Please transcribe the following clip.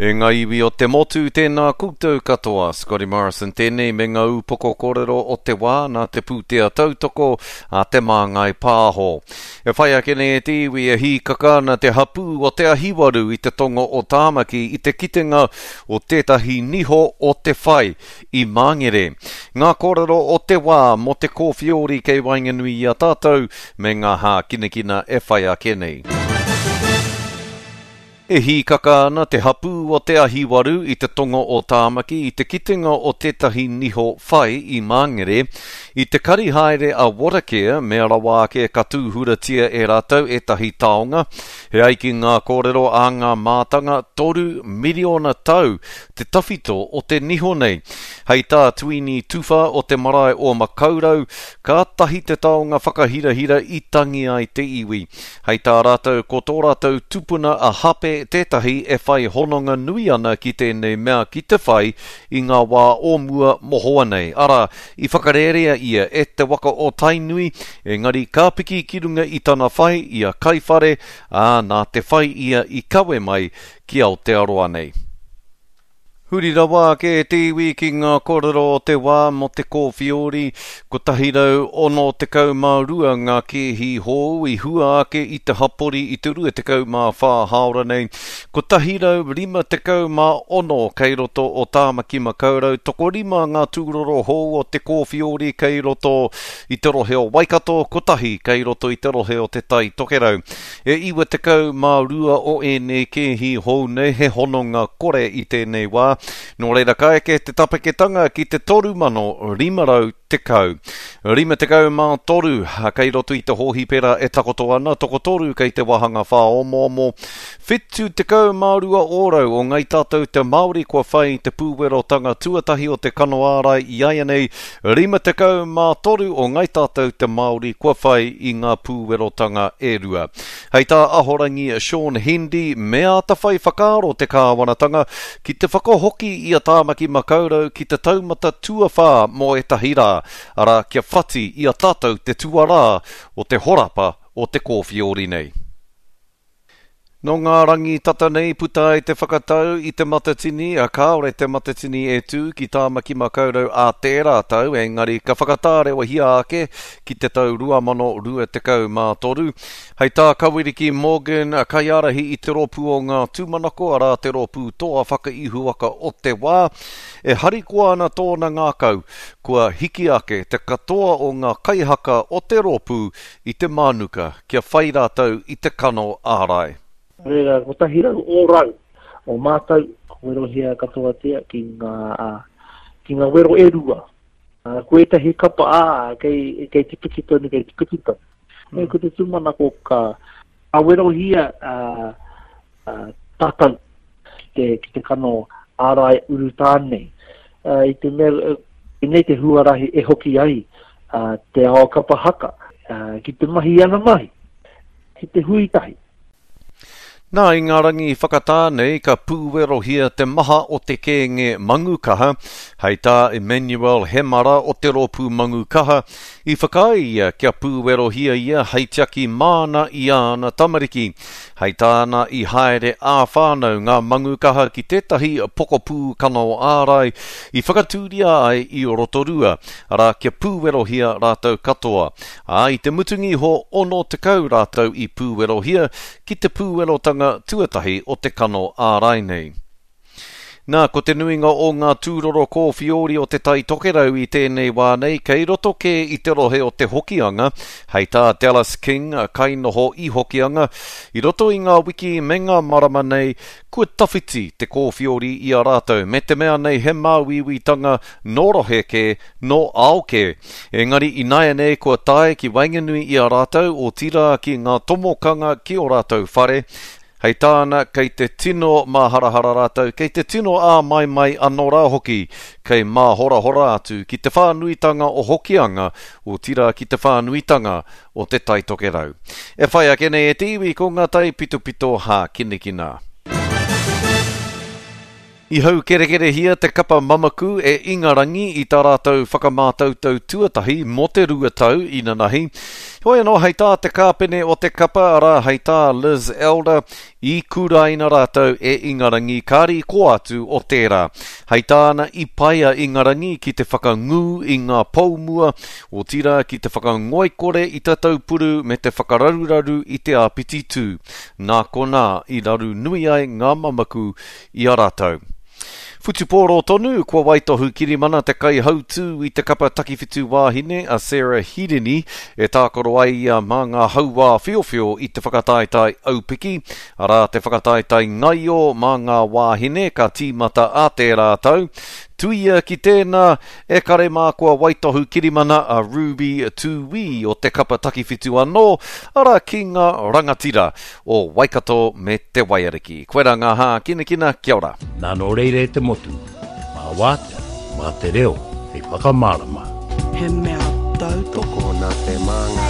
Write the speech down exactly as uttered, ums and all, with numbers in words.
E ngā iwi o te motu, tēnā koutou katoa. Scotty Morrison tēnei me ngā upoko kōrero o te wā nā te pūtea tautoko a Te Māngai Pāho. E whai ake nei e te iwi e hīkaka ana te hapū o Te Ahiwaru i te tonga o Tāmaki i te kitenga o tētahi niho o te whai i Māngere. Ngā kōrero o te wā mō te kōwhiori kei waenganui i a tātou me ngā hākinakina e whai ake nei. E hīkaka ana te hapū o Te Ahiwaru i te tonga o Tāmaki i te kitenga o tētahi niho whai i Māngere. I te kari haere a Watercare, mea rawa ake ka tūhuratia e rātou ētahi taonga. He ai ki ngā kōrero a ngā mātanga, toru miriona tau te tawhito o te niho nei. Hei tā Tuini Tuwha o te marae o Makaurau, kātahi te taonga whakahirahira i tangi ai te iwi. Hei tā rātou ko tō rātou tupuna a Hape tētahi e whai hononga nui ana ki tēnei mea ki te whai i ngā wā o mua mohoa nei. Arā, i whakarērea ia e te waka o Tainui, engari ka piki ki runga i tana whai i a Kaiwhare, ā, nā te whai ia i kawe mai ki Aotearoa nei. Huri rawa ake e te iwi ki ngā kōrero o te wā mō te kōwhiori, kotahi rau ono tekau mā rua ngā kēhi hou i hua ake i te hapori i te rua tekau mā whā hāora nei, kotahi rau rima tekau mā ono kei roto o Tāmaki Makaurau, tokorima ngā tūroro hou o te kōwhiori kei roto i te rohe o Waikato, kotahi kei roto i te rohe o Te Tai Tokerau. E iwa tekau mā rua o ēnei kēhi hou nei he hononga kore i tēnei wā. Nō reira ka eke te tapeketanga ki te toru mano rima rau tekau. Rima tekau mā toru kei roto i te hōhipera e takoto ana, tokotoru kei te wāhanga whāomoomo. Whitu tekau mā rua ōrau o ngai tātou te Māori kua whai te pūwerotanga tuatahi o te kano ārai i aianei, rima tekau mā toru o ngai tātou te Māori kua whai i ngā pūwerotanga e rua. Hei tā Ahorangi Sean Hendy, me āta whai whakaaro te kāwanatanga ki te whakahoki i a Tāmaki Makaurau ki te taumata tuawhā mō ētahi rā, arā kia whati i a tātou te tuarā o te horapa o te kōwhiori nei. Nō ngā rangi tata nei puta ai te whakatau i te Matatini, a kāore te Matatini e tū ki Tāmaki Makaurau ā tērā tau, engari ka whakatārewahia ake ki te tau rua mano rua tekau mā toru. Hei tā Kawiriki Morgan, kaiārahi i te rōpū o ngā tūmanako, arā te rōpū toa whakaihuwaka o te wā, e harikoa ana tōna ngākau, kua hiki ake te katoa o ngā kaihaka o te rōpū i te mānuka kia whai rātou i te kano ārai. Reira, kotahi rau ōrau o mātou, werohia katoatia ki ngā, ki ngā wero e rua. Ko ētahi kapa, ā, kei, kei te piki tonu, kei te piki tonu. Mm. E, ko te tūmanako ka, ka werohia ā, ā, tātou ki te, ki te kano ārai urutā nei. Uh, i te mea, nei te huarahi e hoki ai uh, te ao kapa haka, uh, ki te mahi ana mahi, ki te hui tahi. Nā, i ngā rangi whakatā nei ka pūwerohia te maha o te kēnge Mangukaha, hei tā Emmanuel Hemara o te rōpū Mangukaha, i whakaae ia kia pūwerohia ia hei tiaki māna i āna tamariki. Hei tāna i haere ā-whānau ngā Mangukaha ki tētahi pokapū kano ārai i whakatūria ai i Rotorua, arā kia pūwerohia rātou katoa. Ā, i te mutunga iho ono tekau rātou i pūwerohia ki te pūwerotanga tuatahi o te kano ārai nei. Nā, ko te nuinga o ngā tūroro kōwhiori o te Tai Tokerau i tēnei wā nei, kei roto kē i te rohe o te Hokianga, hei tā Dallas King, kainoho i Hokianga, i roto i ngā wiki me ngā marama nei, kua tawhiti te kōwhiori i a rātou, me te mea nei he māuiuitanga nō rohe kē, nō ao kē. Engari ināianei kua tae ki waenganui i a rātou, otirā ki ngā tomokanga ki o rātou whare. Hei tāna, kei te tino māharahara rātou, kei te tino āmaimai anō rā hoki, kei māhorahora atu ki te whānuitanga o Hokianga, otirā ki te whānuitanga o te Tai Tokerau. E whai ake nei e te iwi ko ngā tai pitopito hākinakina. I haukerekerehia te kapa mamaku e Ingarangi i tā rātou whakamātautau tuatahi mō te rua tau inanahi. Hoi anō, hei tā te kāpene o te kapa, arā, hei tā Liz Elder, i kuraina rātou e Ingarangi, kāre i kō atu o tērā. Hei tāna i pai a Ingarangi ki te whakangū i ngā poumua, otirā ki te whakangoikore i te taupuru me te whakararuraru i te āpiti tū. Nā konā i raru nui ai ngā mamaku i a rātou. Whutupōro tonu, kua waitohu kirimana te kaihautū i te kapa takiwhitu wāhine a Sarah Hirini e tākaro ai ia mā ngā hauā whiowhio i te whakataetae aupiki, arā te whakataetae ngaio mā ngā wāhine ka tīmata ā tērā tau. Tuia ki tēnā, e kare mā kua waitohu kirimana a Ruby Tūī o te kapa takiwhitu anō, arā ki ngā rangatira o Waikato me Te Waiariki. Koirā ngā hākinakina, kia ora. Nā nō reira e te motu, mā wātea, mā te reo, hei whakamārama. He mea tautoko Tokona te māngai.